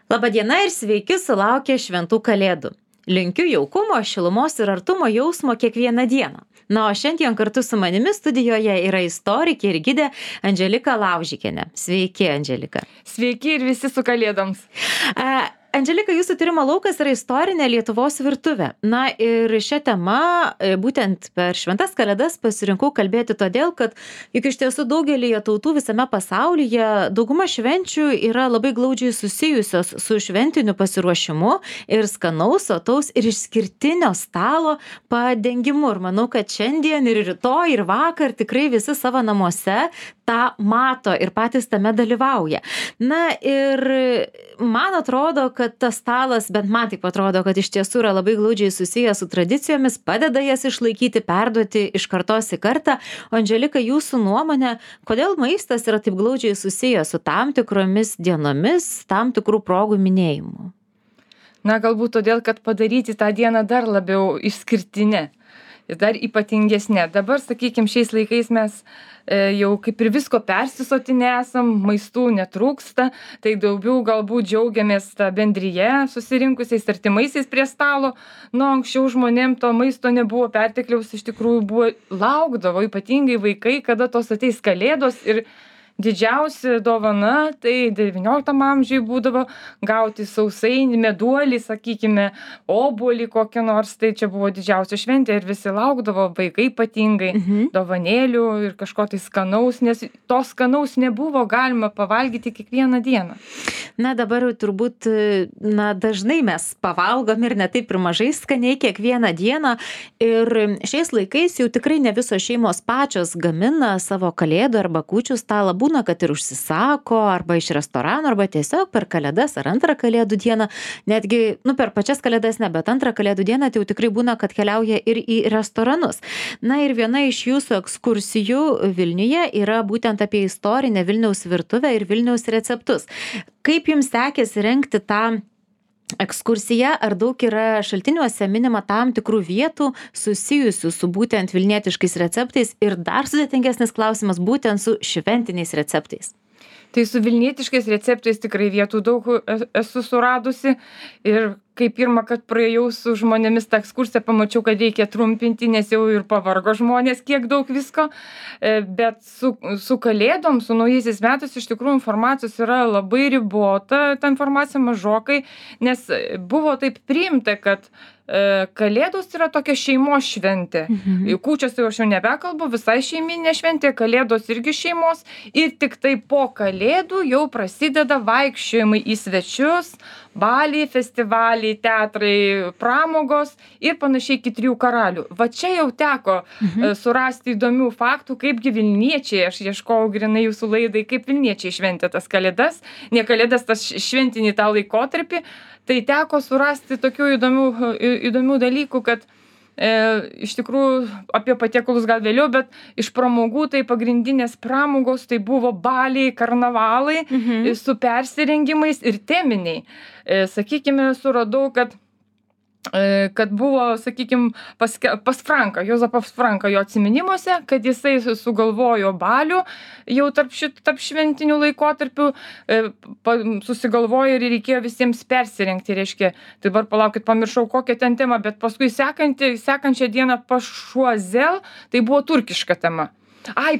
Labadiena ir sveiki sulaukę šventų kalėdų. Linkiu jaukumo, šilumos ir artumo jausmo kiekvieną dieną. Na, o šiandien kartu su manimi studijoje yra istorikė ir gidė Andželika Laužikienė. Sveiki, Andželika. Sveiki ir visi su kalėdoms. Andželika, jūsų tyrimo laukas yra istorinė Lietuvos virtuvė. Na ir šią temą būtent per šventas kalėdas pasirinkau kalbėti todėl, kad juk iš tiesų daugelįje tautų visame pasaulyje dauguma švenčių yra labai glaudžiai susijusios su šventiniu pasiruošimu ir skanaus, sotaus ir išskirtinio stalo padengimu. Ir manau, kad šiandien ir rytoj ir vakar tikrai visi savo namuose tą mato ir patys tame dalyvauja. Na ir man atrodo, kad tas stalas, bent man taip atrodo, kad iš tiesų yra labai glaudžiai susijęs su tradicijomis, padeda jas išlaikyti, perduoti iš kartos į kartą. O Andželika, jūsų nuomonė, kodėl maistas yra taip glaudžiai susijęs su tam tikromis dienomis, tam tikrų progų minėjimu? Na, galbūt todėl, kad padaryti tą dieną dar labiau išskirtinę ir dar ypatingesnė. Dabar, sakykime, šiais laikais mes jau kaip ir visko persisotinę esam, maistų netrūksta, tai daugiau galbūt džiaugiamės tą bendryje susirinkusiais artimaisiais prie stalo. Nu, anksčiau žmonėm to maisto nebuvo pertekliaus, iš tikrųjų laukdavo, ypatingai vaikai, kada tos ateis kalėdos ir didžiausia dovana, tai 19 amžiuje būdavo gauti sausainį, meduolį, sakykime, obuolį kokį nors, tai čia buvo didžiausia šventė ir visi laukdavo, vaikai ypatingai, dovanėlių ir kažko tai skanaus, nes to skanaus nebuvo galima pavalgyti kiekvieną dieną. Na, dabar turbūt, dažnai mes pavalgom ir ne taip ir mažai skaniai kiekvieną dieną ir šiais laikais jau tikrai ne visos šeimos pačios gamina savo kalėdų arba kūčių stalą. Būna, kad ir užsisako arba iš restorano, arba tiesiog per kalėdas ar antrą kalėdų dieną, netgi, per pačias kalėdas ne, bet antrą kalėdų dieną tai jau tikrai būna, kad keliauja ir į restoranus. Na ir viena iš jūsų ekskursijų Vilniuje yra būtent apie istorinę Vilniaus virtuvę ir Vilniaus receptus. Kaip jums sekėsi rengti tą ekskursija, ar daug yra šaltiniuose minima tam tikrų vietų susijusių su būtent vilnietiškais receptais ir dar sudėtingesnis klausimas būtent su šventiniais receptais? Tai su vilnietiškais receptais tikrai vietų daug esu suradusi ir kai pirmą kartą praėjau su žmonėmis tą ekskursiją, pamačiau, kad reikia trumpinti, nes jau ir pavargo žmonės, kiek daug visko, bet su kalėdom, su naujaisiais metais iš tikrųjų informacijos yra labai ribota, ta informacija mažokai, nes buvo taip priimta, kad kalėdos yra tokia šeimos šventė. Kūčios tai aš jau nebekalbu, visai šeiminė šventė, kalėdos irgi šeimos ir tik tai po kalėdų jau prasideda vaikščiojimai į svečius, baliai, festivaliai, teatrai, pramogos ir panašiai iki 3 karalių. Va čia jau teko surasti įdomių faktų, kaipgi Vilniečiai, aš ieškojau grinai jūsų laidai, kaip Vilniečiai šventė tas kalėdas, ne kalėdas, tas šventinį tą laikotarpį. Tai teko surasti tokių įdomių dalykų, kad iš tikrųjų apie patiekalus gal vėliau, bet iš pramogų tai pagrindinės pramogos tai buvo baliai, karnavalai su persirengimais ir teminiai. Sakykime, suradau, kad buvo, sakykime, pas Franką, Juozapas Franką jo atsiminimuose, kad jisai sugalvojo balių jau tarp šventinių laikotarpių, susigalvojo ir reikėjo visiems persirengti, reiškia, tai dabar palaukit, pamiršau kokią ten temą, bet paskui sekančią dieną pas Šuazel, tai buvo turkiška tema.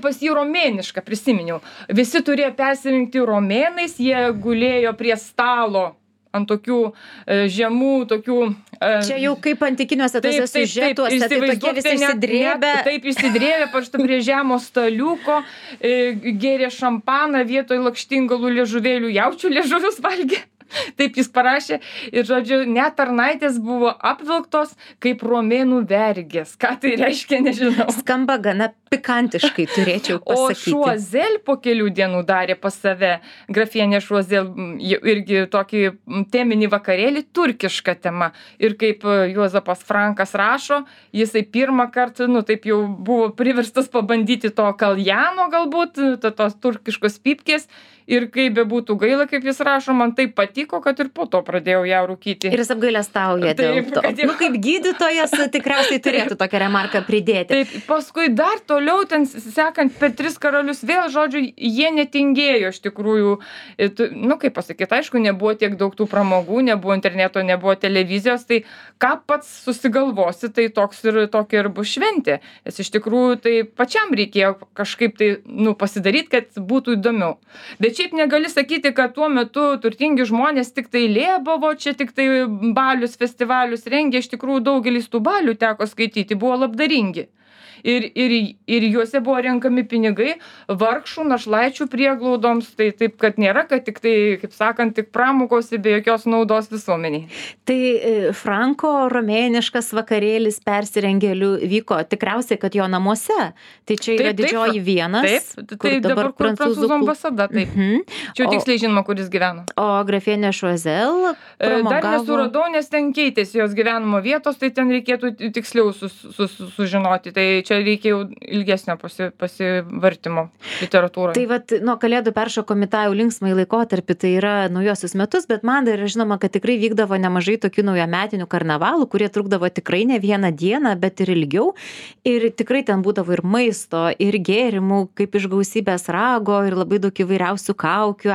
Pas jį romėnišką prisiminiau. Visi turėjo persirinkti romėnais, jie gulėjo prie stalo ant tokių žemų, tokių... Čia jau kaip antikiniuose tose siužetuose, tai tokie visi išsidrėbę. Taip, išsidrėbę, paštu prie žemo staliuko, gėrė šampaną, vietoj lakštingalų liežuvėlių jaučių liežuvius valgė. Taip jis parašė ir, žodžiu, net tarnaitės buvo apvilktos kaip romėnų vergės. Ką tai reiškia, nežinau. Skamba gana pikantiškai, turėčiau pasakyti. O Šuazel po kelių dienų darė pas save, grafienė Šuazel, irgi tokį teminį vakarėlį, turkišką temą. Ir kaip Juozapas Frankas rašo, jisai pirmą kartą, taip jau buvo priverstas pabandyti to kaljano galbūt, tos turkiškos pypkės. ir kaip bebūtų gaila, kaip jis rašo, man taip patiko, kad ir po to pradėjau ją rūkyti. Ir jis apgailestauja dėl Taip, to. kad jau- Nu, kaip gydytojas tikriausiai turėtų tokią remarką pridėti. Taip, paskui dar toliau ten sekant per 3 karalius vėl, žodžiu, jie netingėjo iš tikrųjų. Nu, kaip pasakyti, aišku, nebuvo tiek daug tų pramogų, nebuvo interneto, nebuvo televizijos, tai ką pats susigalvosi, tai tokia ir bus šventė. Nes iš tikrųjų tai pačiam reikėjo kažkaip tai, nu, pasidaryti, kad būtų įdomiau. Bet šiaip negali sakyti, kad tuo metu turtingi žmonės tik tai lėbavo, čia tik tai balius, festivalius rengė, iš tikrųjų daugelis tų balių teko skaityti, buvo labdaringi. Ir juose buvo renkami pinigai vargšų našlaičių prieglaudoms, tai taip, kad nėra, kad tik tai, kaip sakant, tik pramogos be jokios naudos visuomeniai. Tai Franko romėniškas vakarėlis persirengėlių vyko tikriausiai, kad jo namuose. Tai čia yra didžioji vienas. Taip, tai dabar kur prancūzų ambasada, taip. Čia tiksliai žinoma, kur jis gyveno. O grafienė Choiseul pramogavo. Dar nesuradau, nes ten keitėsi jos gyvenimo vietos, tai ten reikėtų tiksliau sužinoti. Tai čia reikia jau ilgesnio pasivartimo literatūroje. Tai vat, nuo kalėdų peršokom į tą jau linksmąjį laikotarpį, tai yra naujosius metus, bet man dar yra žinoma, kad tikrai vykdavo nemažai tokių naujametinių karnavalų, kurie trukdavo tikrai ne vieną dieną, bet ir ilgiau. Ir tikrai ten būdavo ir maisto, ir gėrimų, kaip iš gausybės rago, ir labai daug įvairiausių kaukių,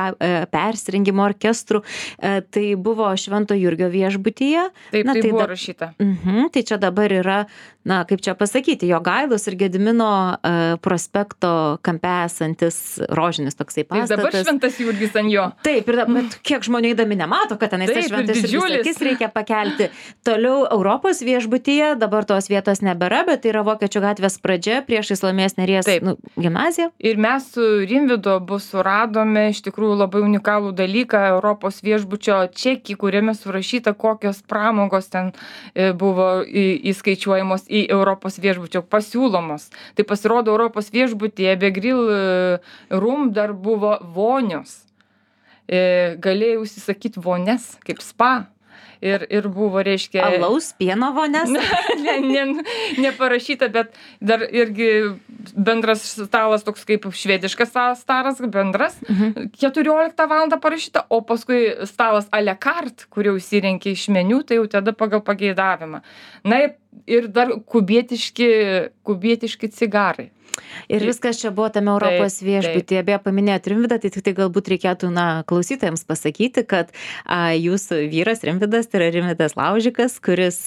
persirengimo orkestrų. Tai buvo Švento Jurgio viešbutyje. Taip, tai buvo rašyta. Tai čia dabar yra, na, kaip čia pasakyti, Jogailos ir Gedimino prospekto kampe esantis rožinis toksai pastatas. Tai dabar Šventas Jurgis ant jo. Taip, bet kiek žmonių eidami nemato, kad tenais tas Šventas Jurgis reikia pakelti. Toliau Europos viešbutyje, dabar tos vietos nebėra, bet tai yra Vokiečių gatvės pradžia prieš Salomėjos Nėries gimnaziją. Ir mes su Rimvydu abu suradome iš tikrųjų labai unikalų dalyką, Europos viešbučio čekį, kuriame surašyta, kokios pramogos ten buvo įskaičiuojamos į Europos viešbučio pasiūlomos. Tai pasirodo Europos viešbutyje be grill room dar buvo vonios. Galėjau užsisakyti vonės kaip spa. Ir buvo, reiškia... Alaus, pieno vonės? Neparašyta, bet dar irgi bendras stalas toks kaip švediškas stalas, bendras. 14 valandą parašyta, o paskui stalas à la carte, kur jau įsirenkia iš meniu, tai jau tada pagal pageidavimą. Na ir dar kubietiški cigarai. Ir viskas čia buvo tame Europos viešbutyje. Beje, paminėjot Rimvydą, tai tik tai galbūt reikėtų, klausytojams pasakyti, kad jūsų vyras Rimvydas, tai yra Rimvydas Laužikas, kuris,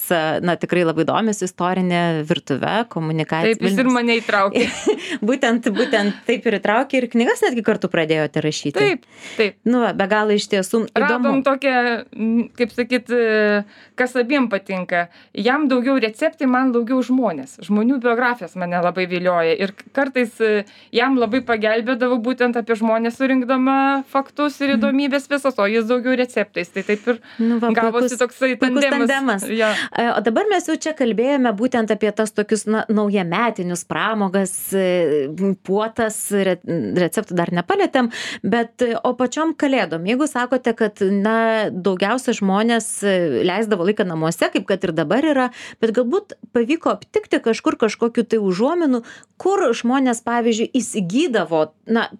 tikrai labai domisi istorinė virtuve, komunikacija. Taip, jis ir mane įtraukė. būtent taip ir įtraukė ir knygas netgi kartu pradėjote rašyti. Taip. Be galo iš tiesų įdomu. Radom tokią, kaip sakyt, kas abiem patinka. Jam daugiau receptai, man daugiau žmonės. Žmonių biografijos mane labai vilioja. Ir kartais jam labai pagelbėdavo būtent apie žmonės surinkdama faktus ir įdomybės visos, o jis daugiau receptais. Tai taip ir gavosi toksai tandemas. Ja. O dabar mes jau čia kalbėjome būtent apie tas tokius naujametinius pramogas, puotas, receptų dar nepalėtėm, bet o pačiom kalėdom, jeigu sakote, kad daugiausia žmonės leisdavo laiką namuose, kaip kad ir dabar yra, bet galbūt pavyko aptikti kažkokių tai užuominų, kur žmonės, pavyzdžiui, įsigydavo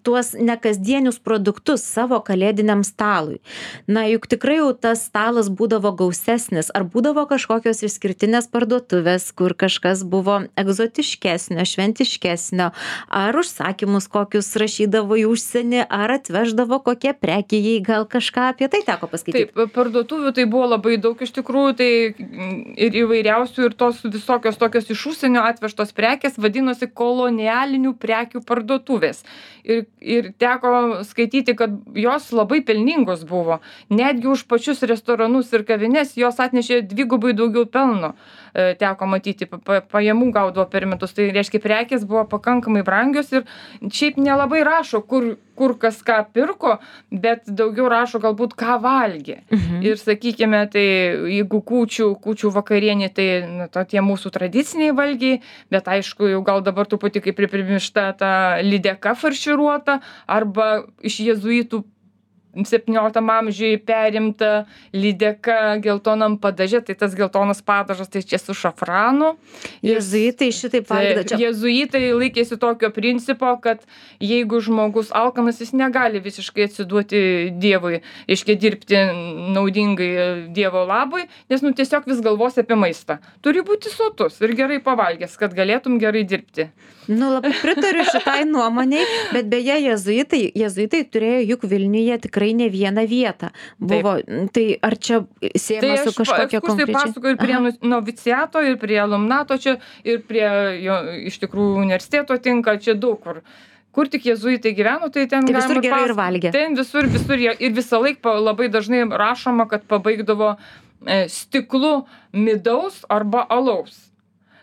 tuos nekasdienius produktus savo kalėdiniam stalui. Juk tikrai jau tas stalas būdavo gausesnis, ar būdavo kažkokios išskirtinės parduotuvės, kur kažkas buvo egzotiškesnio, šventiškesnio, ar užsakymus kokius rašydavo į užsienį, ar atveždavo kokie prekijai, gal kažką apie tai teko paskaityti. Taip, parduotuvių tai buvo labai daug iš tikrųjų, tai ir įvairiausių, ir tos visokios tokios iš užsienio atvežtos prekės vadinosi kolonialinių prekių parduotuvės. Ir teko skaityti, kad jos labai pelningos buvo. Netgi už pačius restoranus ir kavines jos atnešė dvigubai daugiau pelno. Teko matyti, pajamų gaudavo per metus. Tai reiškia, prekės buvo pakankamai brangios ir šiaip nelabai rašo, kur kas ką pirko, bet daugiau rašo galbūt ką valgė. Ir sakykime, tai jeigu kūčių vakarienė, tai tie mūsų tradiciniai valgiai, bet aišku, jau gal dabar truputį kaip primiršta ta lydeka farširuota, arba iš jėzuitų 17 amžiuje perimta lydeka geltonam padaže, tai tas geltonas padažas tai čia su šafranu. Jėzuitai šitaip valgydavo. Čia Jėzuitai laikėsi tokio principo, kad jeigu žmogus alkanas, jis negali visiškai atsiduoti Dievui, reiškia dirbti naudingai Dievo labui, nes tiesiog vis galvos apie maistą. Turi būti sotus ir gerai pavalgęs, kad galėtum gerai dirbti. Labai pritariu šitai nuomoniai, bet beje, jėzuitai turėjo juk Vilniuje tikrai ne vieną vietą. Buvo, tai ar čia siejama su kažkokia konkrečia? Tai aš pasakoju ir prie noviciato, ir prie alumnato čia, ir prie jo iš tikrųjų universiteto tinka, čia daug kur. Kur tik jėzuitai gyveno, tai ten visur gerai ir valgė. Ten visur ir visą laiką labai dažnai rašoma, kad pabaigdavo stiklu midaus arba alaus.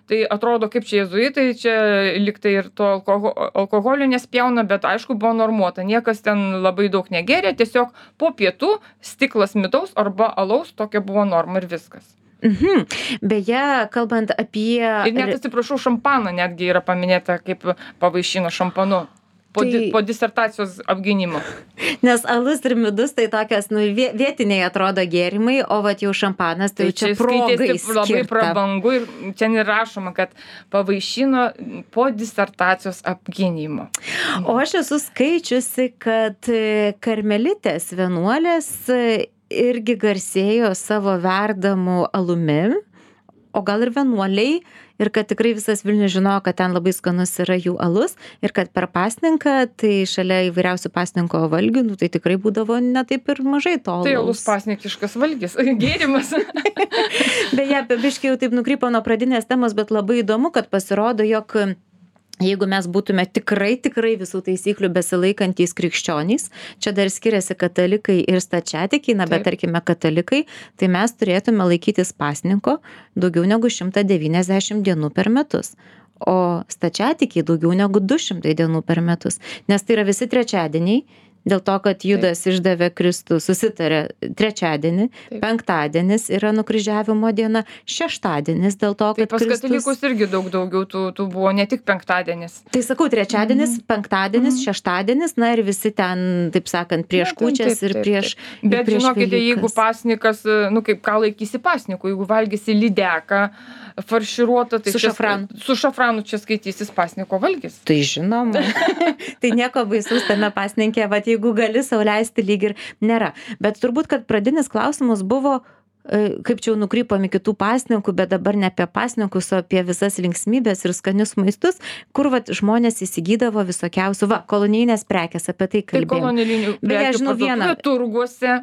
Tai atrodo, kaip čia jėzuitai, čia liktai ir to alkoholio nespjauna, bet aišku buvo normuota. Niekas ten labai daug negeria, tiesiog po pietų stiklas midaus arba alaus, tokia buvo norma ir viskas. Beje, kalbant apie... Ir net atsiprašau, šampaną netgi yra paminėta, kaip pavaišino šampanu. Po disertacijos apgynimo. Nes alus ir midus tai tokios, vietiniai atrodo gėrimai, o vat jau šampanas tai čia progai skirta. Labai prabangu ir čia nerašoma, kad pavaišino po disertacijos apgynimo. O aš esu skaičiusi, kad karmelitės vienuolės irgi garsėjo savo verdamu alumi, o gal ir vienuoliai, ir kad tikrai visas Vilnius žinojo, kad ten labai skanus yra jų alus ir kad per pasninką, tai šalia įvairiausių pasninko valgių, tai tikrai būdavo ne taip ir mažai to alaus. Tai alus pasninkiškas valgis, gėrimas. Beje, biškai jau taip nukrypo nuo pradinės temos, bet labai įdomu, kad pasirodo, jog jeigu mes būtume tikrai visų taisyklių besilaikantys krikščionys, čia dar skiriasi katalikai ir stačiatikiai, bet tarkime katalikai, tai mes turėtume laikytis pasninko daugiau negu 190 dienų per metus, o stačiatikiai daugiau negu 200 dienų per metus, nes tai yra visi trečiadieniai, dėl to, kad Judas išdavė Kristų, susitarė trečiadienį, penktadienis yra nukryžiavimo diena, šeštadienis dėl to, kad pas katalikus irgi daugiau tų buvo, ne tik penktadienis. Tai sakau, trečiadienis, penktadienis, šeštadienis, na ir visi ten, taip sakant, prieš kūčias ir prieš Velykas. Bet žinokite, jeigu pasnikas, kaip ką laikysi pasniku, jeigu valgysi lydeką, farširuotą, tai su šafranu čia skaitysis pasniko valgis. Tai žinoma. Tai nieko baisaus tame pasninkė, jeigu gali sau leisti, lyg ir nėra. Bet turbūt, kad pradinis klausimas buvo, kaip čia jau nukrypom į kitų pasninkų, bet dabar ne apie pasninkus, o apie visas linksmybės ir skanius maistus, kur žmonės įsigydavo visokiausių, kolonijinės prekės, apie tai kalbėjome. Tai kolonijinių prekių turguose.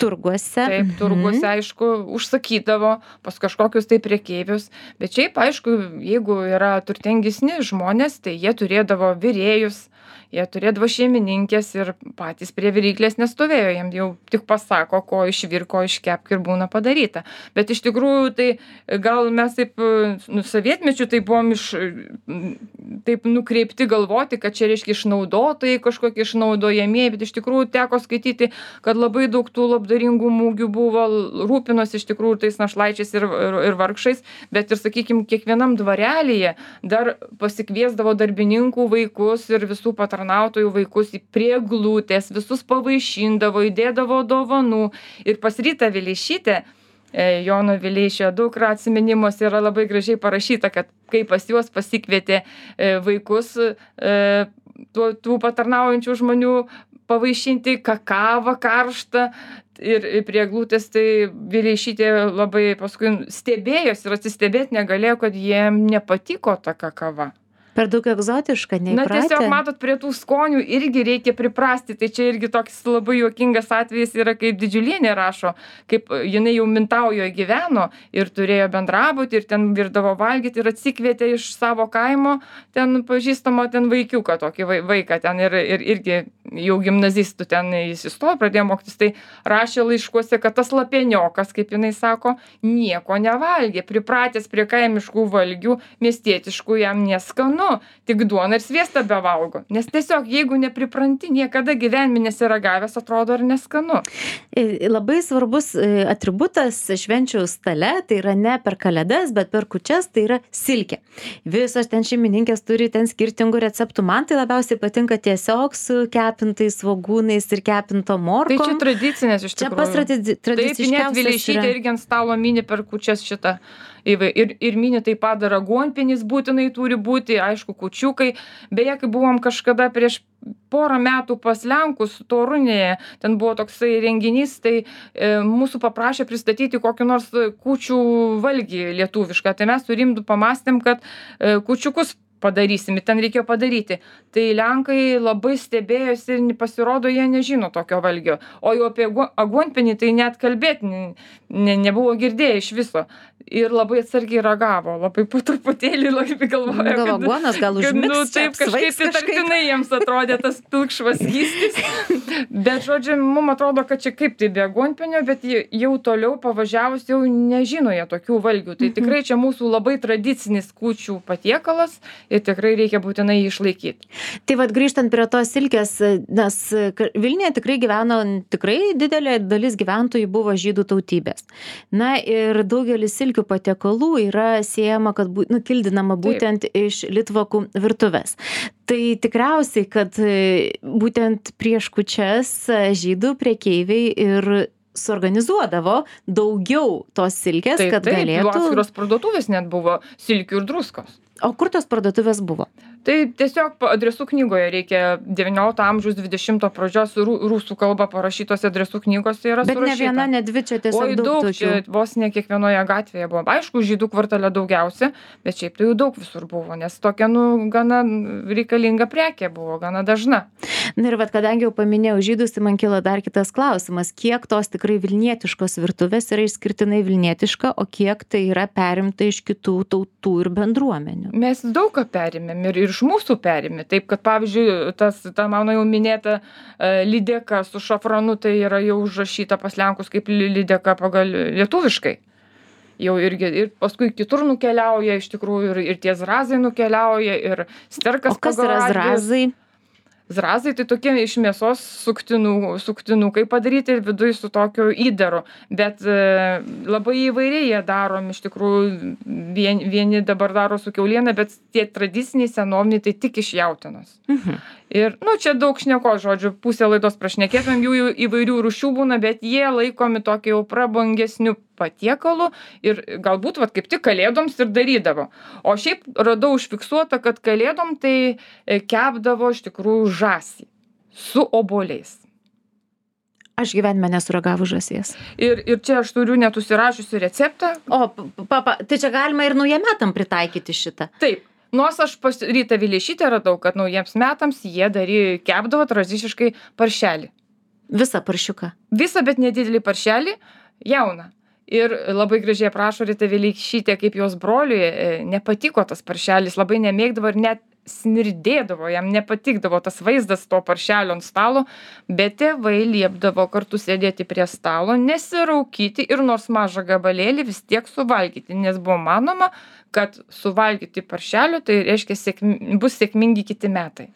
Taip, turguose, aišku, užsakydavo pas kažkokius tai prekeivius. Bet šiaip, aišku, jeigu yra turtingesni žmonės, tai jie turėdavo virėjus, jie turėdavo šeimininkės ir patys prie viryklės nestovėjo, jiems jau tik pasako, ko išvirko, iškepk ir būna padaryta. Bet iš tikrųjų, tai gal mes taip sovietmečiu tai buvom taip nukreipti galvoti, kad čia reiškia išnaudotojai, kažkokie išnaudojamieji, bet iš tikrųjų teko skaityti, kad labai daug tų labdaringų mūgių buvo, rūpinos iš tikrųjų tais našlaičiais ir vargšais, bet ir, sakykime, kiekvienam dvarelyje dar pasikviesdavo darbininkų vaikus ir visų patarnautojų vaikus prie eglutės, visus pavaišindavo, įdėdavo dovanų. Ir pas Rytą Vileišytę, Jono Vileišio dukra atsiminimuose yra labai gražiai parašyta, kad kai pas juos pasikvietė vaikus tų patarnaujančių žmonių pavaišinti kakavą karštą ir prie eglutės, tai Vileišytė labai paskui stebėjosi ir atsistebėti negalėjo, kad jiem nepatiko ta kakava. Per daug egzotiška, neįpratę. Na tiesiog matot, prie tų skonių irgi reikia priprasti, tai čia irgi toks labai juokingas atvejis yra, kaip Didžiulienė rašo, kaip jinai jau Mintaujoje gyveno ir turėjo bendrabutį ir ten virdavo valgyti ir atsikvietė iš savo kaimo ten pažįstamo ten vaikiuką, tokį vaiką ten ir irgi jau gimnazistų ten jis įstojo, pradėjo mokytis, tai rašė laiškuose, kad tas lapieniokas, kaip jinai sako, nieko nevalgė, pripratęs prie kaimiškų valgių, miestietiškų jam neskanu. skanu, tik duoną ir sviestą bevalgo. Nes tiesiog, jeigu nepripranti, niekada gyvenime nesiragavęs, atrodo ir neskanu. Labai svarbus atributas švenčių stale, tai yra ne per kalėdas, bet per kūčias, tai yra silkė. Visos ten šeimininkės turi ten skirtingų receptų. Man tai labiausiai patinka tiesiog su kepintais svogūnais ir kepinto morkom. Tai čia tradicinės iš tikrųjų. Čia pas tradiciškiausias. Taip, net Vileišytė irgi ant stalo mini per kūčias šitą. Ir mini taip pat dar aguonpienis būtinai turi būti, aišku, kūčiukai. Beje, kai buvom kažkada prieš porą metų pas Lenkus Torunėje, ten buvo toksai renginys, tai mūsų paprašė pristatyti kokį nors kūčių valgį lietuvišką. Tai mes su Rimdu pamastėm, kad kūčiukus padarysim, ten reikėjo padaryti. Tai Lenkai labai stebėjosi ir pasirodo, jie nežino tokio valgio. O jau apie aguonpienį tai net kalbėti nebuvo girdėję iš viso. Ir labai atsargiai ragavo, labai po truputėlį labai galvoja, gal aguonas, gal užmigs, taip kažkaip įtartinai jiems atrodė tas pilkšvas skystis. Bet, žodžiu, mums atrodo, kad čia kaip tai be aguonpienio, bet jau toliau pavažiavus jau nežino jie tokių valgių. Tai tikrai čia mūsų labai tradicinis kūčių patiekalas ir tikrai reikia būtinai jį išlaikyti. Tai vad grįžtant prie tos silkės, nes Vilniuje tikrai gyveno, tikrai didelė dalis gyventojų buvo žydų tautybės. Na ir daugelis silkių patiekalų yra siejama, kad kildinama būtent iš litvakų virtuvės. Tai tikriausiai, kad būtent prieš kūčias žydų prekeiviai ir suorganizuodavo daugiau tos silkės, kad galėtų. Taip, atskiros parduotuvės net buvo silkių ir druskos. O kur tos parduotuvės buvo? Tai tiesiog adresų knygoje reikia 19 amžiaus 20 pradžios rusų kalba parašytos adresų knygos yra surašyta. Bet ne viena, ne dvi, čia tiesiog daug tokių. Čia vos ne kiekvienoje gatvėje buvo. Aišku, žydų kvartale daugiausia, bet šiaip tai jau daug visur buvo, nes tokia, gana reikalinga prekė buvo, gana dažna. Na ir kadangi jau paminėjau žydus, tai man kilo dar kitas klausimas, kiek tos tikrai vilnietiškos virtuvės yra išskirtinai vilnietiška, o kiek tai yra perimta iš kitų tautų ir bendruomenių? Mes daug ką perimėm ir iš mūsų perimė. Taip, kad pavyzdžiui, ta mano jau minėta lydeka su šafranu, tai yra jau užrašyta pas Lenkus kaip lydeka pagal lietuviškai. Jau irgi, ir paskui kitur nukeliauja, iš tikrųjų, ir tie zrazai nukeliauja, ir sterkas. O kas yra zrazai? Zrazai tai tokie iš mėsos suktinukai padaryti ir viduj su tokiu įdaru. Bet labai įvairiai jie darom, iš tikrųjų, vieni dabar daro su kiauliena, bet tie tradiciniai senoviniai tai tik iš jautienos. Ir, čia daug šneko, žodžiu, pusę laidos prašnekėtumėm, jų įvairių rūšių būna, bet jie laikomi tokie jau prabangesnių patiekalų ir galbūt kaip tik kalėdoms ir darydavo. O šiaip radau užfiksuota, kad kalėdom tai kepdavo iš tikrųjų žąsį su obuoliais. Aš gyvenime nesuragavau žąsies. Ir čia aš turiu net užsirašiusi receptą. O, tai čia galima ir naujiem metam pritaikyti šitą. Taip. Nors aš pas Rytą Vileišytę radau, kad naujiems metams jie kepdavo tradiciškai paršelį. Visą paršiuką? Visą, bet nedidelį paršelį, jauną. Ir labai gražiai aprašo Rytą Vileišytę, kaip jos broliui nepatiko tas paršelis, labai nemėgdavo ir net smirdėdavo, jam nepatikdavo tas vaizdas to paršelio ant stalo, bet tėvai liepdavo kartu sėdėti prie stalo, nesiraukyti ir nors mažą gabalėlį vis tiek suvalgyti, nes buvo manoma, kad suvalgyti paršelio tai reiškia bus sėkmingi kiti metai.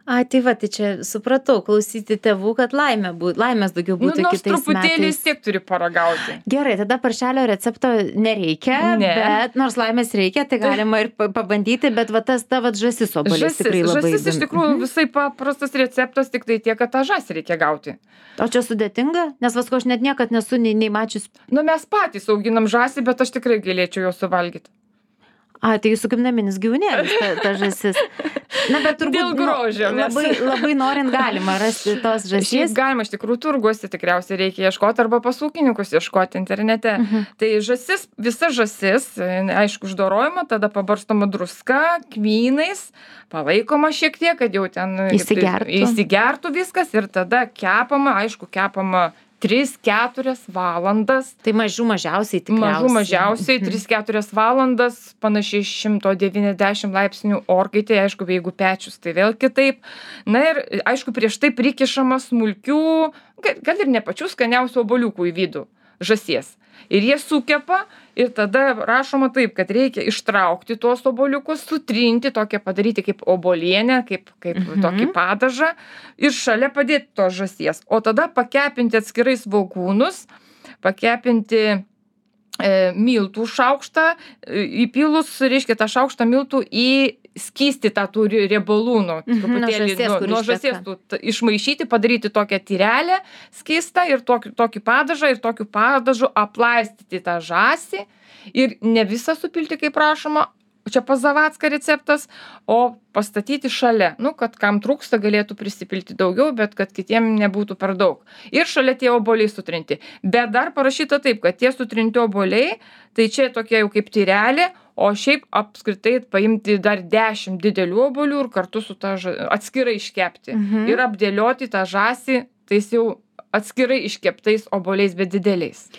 Tai čia supratau, klausyti tėvų, kad laimės daugiau būtų kitais metais. Nors truputėlį vis tiek turi paragauti. Gerai, tada paršelio recepto nereikia, bet nors laimės reikia, tai galima ir pabandyti, bet tas žąsis obuolys tikrai labai įdomu. Žąsis iš tikrųjų visai paprastas receptas, tik tai tiek, kad tą žąsį reikia gauti. O čia sudėtinga? Nes aš net niekad nesu nei mačius. Mes patys auginam žąsį, bet aš tikrai galėčiau jo suvalgyti. Tai jūsų kaip naminis gyvūnėlis, ta žąsis. Na, bet turbūt dėl grožio. Labai norint galima rasti tos žąsies. Šiaip galima, iš tikrųjų, turguose tikriausiai reikia ieškoti arba pas ūkininkus ieškoti internete. Tai žąsis, visa žąsis, aišku, uždorojama, tada pabarstoma druska, kmynais, palaikoma šiek tiek, kad jau ten įsigertų viskas ir tada kepama, aišku, kepama 3-4 valandas. Tai mažiausiai tikriausiai. Mažiausiai 3-4 valandas, panašiai 190 laipsnių orkaitė, aišku, jeigu pečius, tai vėl kitaip. Na ir, aišku, prieš tai prikišama smulkių, gal ir ne pačių skaniausių obuoliukų į vidų. žąsies. Ir jie sukepa ir tada rašoma taip, kad reikia ištraukti tuos obuoliukus, sutrinti, tokią padaryti kaip obuolienę, kaip tokį padažą ir šalia padėti tos žąsies. O tada pakepinti atskirai svogūnus, pakepinti miltų šaukštą, įpilus, reiškia, tą šaukštą miltų į skystį tą turi riebalų, nuo žąsies išmaišyti, padaryti tokią tyrelę skystą ir tokį padažą ir tokiu padažu aplaistyti tą žąsį ir ne visą supilti, kaip prašoma, čia pas Zavacką receptas, o pastatyti šalia, kad kam trūksta galėtų prisipilti daugiau, bet kad kitiem nebūtų per daug. Ir šalia tie obuoliai sutrinti. Bet dar parašyta taip, kad tie sutrinti obuoliai, tai čia tokia jau kaip tyrelė, o šiaip apskritai paimti dar 10 didelių obuolių ir kartu su ta atskirai iškepti. Ir apdėlioti tą žąsį, tais jau atskirai iškeptais obuoliais, bet dideliais.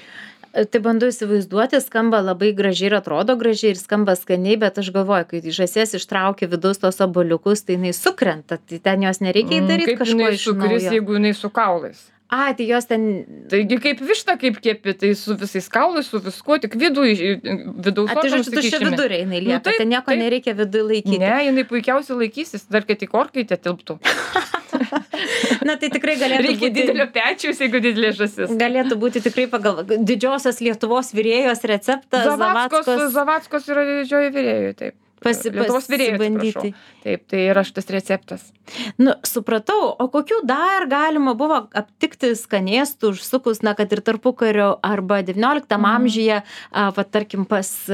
Tai bandau įsivaizduoti, skamba labai gražiai ir atrodo gražiai ir skamba skaniai, bet aš galvoju, kai žąsies ištraukia vidaus tos obuoliukus, tai jinai sukrenta, tai ten jos nereikia daryti kažko iš naujo. Kaip jinai sukris, jeigu jinai su kaulais? Tai jos ten... Taigi kaip višta, kaip kepi, tai su visais kaulais, su viskuo, tik vidaus organus tu čia vidurė jinai lieka, ten nieko nereikia vidui laikyti. Ne, jinai puikiausiai laikysis, dar kad tik orkaitė tilptų. Tai tikrai galėtų būti... Reikia didelio pečiaus, jeigu didelė žąsis. Galėtų būti tikrai pagal didžiosios Lietuvos virėjos receptas. Zavackos yra didžioji virėjų, taip. Lietuvos virėjos, prašau. Taip, tai yra šitas receptas. Supratau, o kokių dar galima buvo aptikti skanėstų užsukus, kad ir tarpukario arba 19 amžiuje, tarkim, pas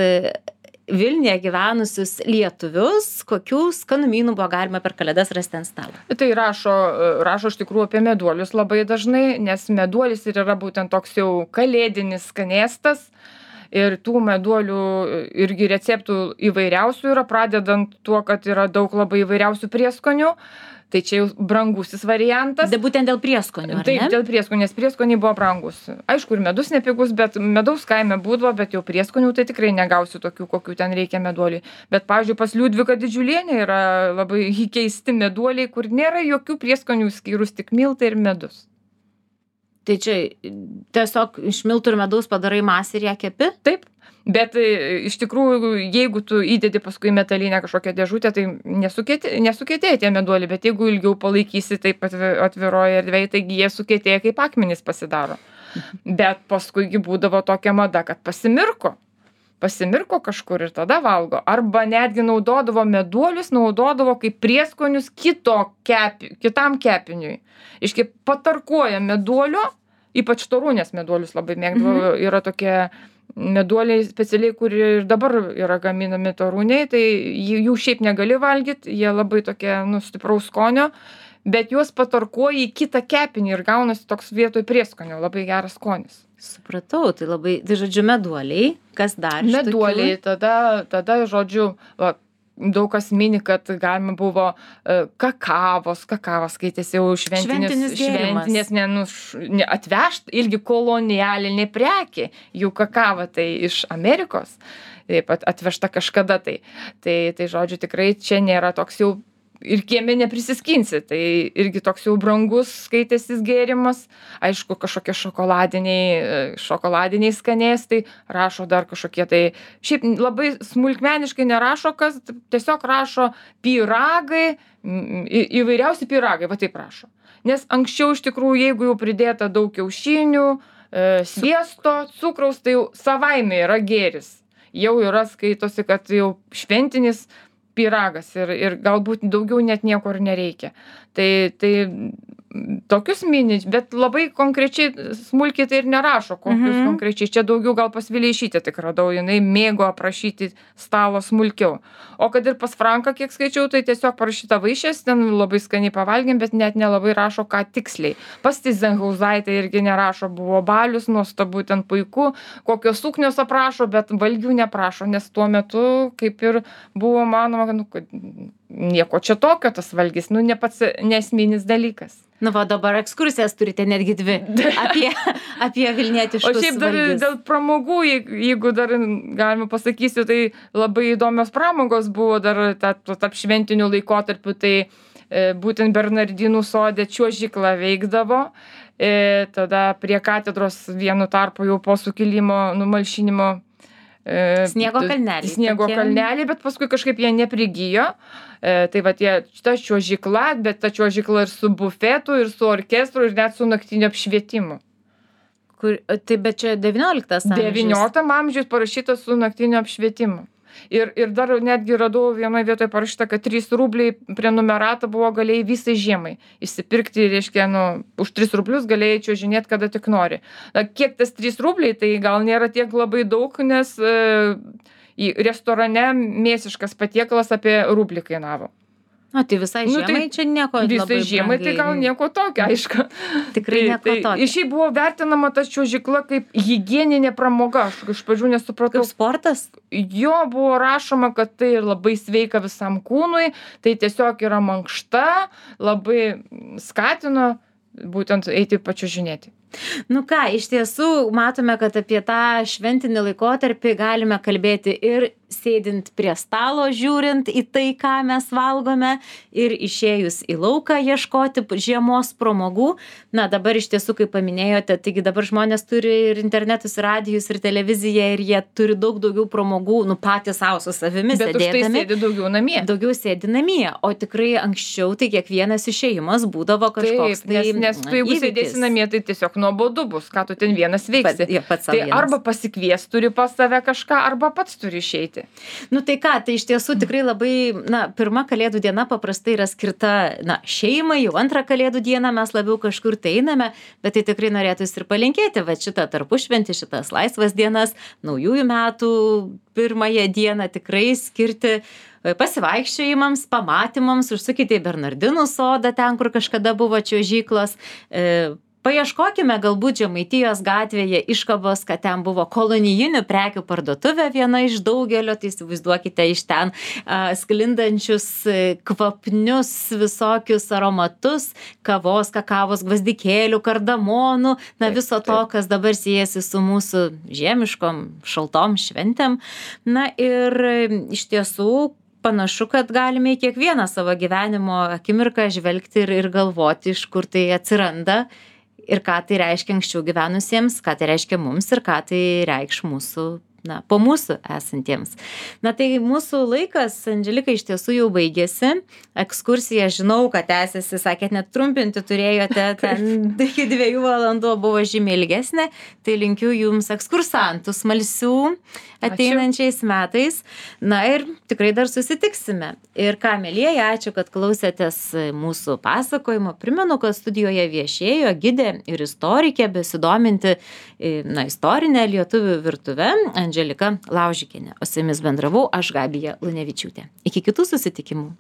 Vilniuje gyvenusius lietuvius, kokių skanumynų buvo galima per Kalėdas rasti ant stalo? Tai rašo iš tikrųjų apie meduolius labai dažnai, nes meduolis ir yra būtent toks jau kalėdinis skanėstas. Ir tų meduolių irgi receptų įvairiausių yra, pradedant tuo, kad yra daug labai įvairiausių prieskonių. Tai čia jau brangusis variantas. Tai būtent dėl prieskonių, ar ne? Taip, dėl prieskonių, nes prieskoniai buvo brangus. Aišku, ir medus nepigus, bet medaus kaime būdavo, bet jau prieskonių tai tikrai negausiu tokių, kokių ten reikia meduoliai. Bet, pavyzdžiui, pas Liudviką Didžiulienę yra labai keisti meduoliai, kur nėra jokių prieskonių skyrus, tik miltai ir medus. Tai čia tiesiog iš miltų ir medaus padarai masę ir ją kepi? Taip. Bet iš tikrųjų, jeigu tu įdedi paskui metalinę kažkokią dėžutę, tai nesukietėja tie meduoliai, bet jeigu ilgiau palaikysi taip atviroje erdvėje, taigi jie sukietėja kaip akmenys pasidaro. Bet paskui būdavo tokia mada, kad pasimirko kažkur ir tada valgo. Arba netgi naudodavo meduolius, naudodavo kaip prieskonius kitam kepiniui. Iškai patarkuoja meduolio, ypač torūnės meduolius labai mėgdavo, yra tokie meduoliai specialiai, kur ir dabar yra gaminami torūniai, tai jų šiaip negali valgyti, jie labai tokie stipraus skonio, bet juos patarkuoja į kitą kepinį ir gaunasi toks vietoj prieskonio, labai geras skonis. Supratau, tai žodžiu, meduoliai, kas dar? Meduoliai, tada žodžiu, daug kas mini, kad galima buvo kakavos skaitėsi jau šventinės atvežt irgi kolonialinė prekė, jų kakava tai iš Amerikos, taip pat atvežta kažkada tai žodžiu tikrai čia nėra toks jau ir kieme neprisiskinsi, tai irgi toks jau brangus skaitėsis gėrimas, aišku kažkokie šokoladiniai skanėstai, rašo dar kažkokie tai, šiaip labai smulkmeniškai nerašo, kas tiesiog rašo pyragai, įvairiausi pyragai, va taip rašo. Nes anksčiau iš tikrųjų, jeigu jau pridėta daug kiaušinių, sviesto, cukraus, tai jau savaime yra gėris. Jau yra skaitosi, kad jau šventinis pyragas ir galbūt daugiau net nieko ir nereikia. Tai tokius mini, bet labai konkrečiai smulkiai tai ir nerašo, kokius konkrečiai. Čia daugiau gal pas Vileišytę tik radau, jinai mėgo aprašyti stalo smulkiau. O kad ir pas Franką, kiek skaičiau, tai tiesiog parašyta vaišės, ten labai skaniai pavalgėm, bet net nelabai rašo, ką tiksliai. Pas Tyzenhauzaitė irgi nerašo, buvo balius, nuostabu, ten puiku, kokios suknios aprašo, bet valgių neprašo, nes tuo metu kaip ir buvo manoma, kad nieko čia tokio tas valgis, ne pats nesminis dalykas. Va dabar ekskursijas turite netgi 2 apie vilnietiškus valgius. O šiaip dar dėl pramogų, jeigu dar galima pasakysiu, tai labai įdomios pramogos buvo dar tarp šventinių laikotarpių, tai būtent Bernardinų sode čiuožykla veikdavo tada prie katedros vienu tarpu jau po sukilimo numalšinimo Sniego kalneliai Sniego tokie. kalneliai, bet paskui kažkaip jie neprigijo. Tai va ta čiuožykla, bet ta čiuožykla ir su bufetu, ir su orkestru, ir net su naktiniu apšvietimu. Tai bet čia 19 amžius. 19 amžius parašyta su naktiniu apšvietimu. Ir dar netgi radau vienoje vietoje parašyta, kad 3 rubliai prenumeratą buvo galėjai visai žiemai įsipirkti, reiškia, už 3 rublius galėjai čiuožinėti kada tik nori. Kiek tas 3 rubliai, tai gal nėra tiek labai daug, nes restorane mėsiškas patiekalas apie rublį kainavo. Tai visai žiemai čia nieko labai Visai žiemai tai gal nieko tokio, aišku. Tikrai nieko tokio. Šiaip buvo vertinama ta čiuožykla kaip higieninė pramoga. Aš iš pradžių nesupratau. Kaip sportas? Jo buvo rašoma, kad tai labai sveika visam kūnui, tai tiesiog yra mankšta, labai skatino būtent eiti pačiuožinėti. Iš tiesų matome, kad apie tą šventinį laikotarpį galime kalbėti ir sėdint prie stalo, žiūrint į tai, ką mes valgome, ir išėjus į lauką ieškoti žiemos pramogų. Dabar iš tiesų, kaip paminėjote, taigi dabar žmonės turi ir internetus, ir radijus, ir televiziją, ir jie turi daug daugiau pramogų, patys savo su savimi sėdėdami. Bet už tai sėdi daugiau namie. Daugiau sėdi namie, o tikrai anksčiau tai kiekvienas išėjimas būdavo kažkoks. Taip, nes tu jeigu sėdėsi namie, tai tiesiog nuobodu bus, ką tu ten vienas veiksi. Tai arba pasikvies turi pas save kažką, arba pats turi išeiti. Tai iš tiesų tikrai labai, pirma Kalėdų diena paprastai yra skirta, šeimai, jau antrą Kalėdų dieną mes labiau kažkur tai einame, bet tai tikrai norėtųsi ir palinkėti, šitą tarpušventį, šitas laisvas dienas, naujųjų metų pirmąją dieną tikrai skirti pasivaikščiojimams, pamatymams, užsukite į Bernardinų sodą, ten, kur kažkada buvo čiuožyklos. Paieškokime galbūt Žemaitijos gatvėje iškabos, kad ten buvo kolonijinių prekių parduotuvė viena iš daugelio, tai įsivaizduokite iš ten sklindančius kvapnius visokius aromatus, kavos, kakavos, gvazdikėlių, kardamonų, viso to, kas dabar siejasi su mūsų žiemiškom, šaltom šventėm. Ir iš tiesų panašu, kad galime į kiekvieną savo gyvenimo akimirką žvelgti ir galvoti, iš kur tai atsiranda. Ir ką tai reiškia anksčiau gyvenusiems, ką tai reiškia mums ir ką tai reikš mūsų, po mūsų esantiems. Tai mūsų laikas, Andželika, iš tiesų jau baigėsi. Ekskursija, žinau, kad tęsiasi, sakėt, net trumpinti turėjote, ten iki 2 valandų buvo žymiai ilgesnė. Tai linkiu jums ekskursantų smalsių ateinančiais metais. Ir tikrai dar susitiksime. Ir ką, mielieji, ačiū, kad klausėtės mūsų pasakojimo. Primenu, kad studijoje viešėjo gidė ir istorikė, besidominti istorinę lietuvių virtuvę, Andželika Laužikienė. O su jumis bendravau aš, Gabija Lunevičiūtė. Iki kitų susitikimų.